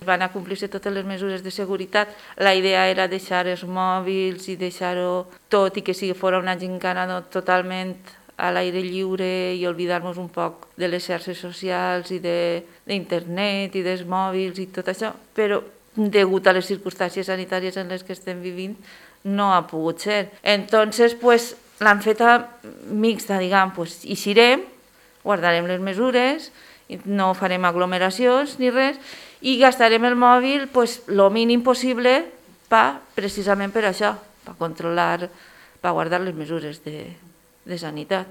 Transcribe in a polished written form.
van a complir-se totes les mesures de seguretat. La idea era deixar els mòbils i deixar-ho tot i que si fos una gincana totalment a l'aire lliure i oblidar-nos un poc de les xarxes socials i d'internet i dels mòbils i tot això, però degut a les circumstàncies sanitàries en les que estem vivint no ha pogut ser. Entonces, pues, l'han feta mixta, diguem, pues, eixirem, guardarem les mesures, no farem aglomeracions ni res, i gastarem el mòbil el mínim possible precisament per això, per controlar, per guardar les mesures de sanitat.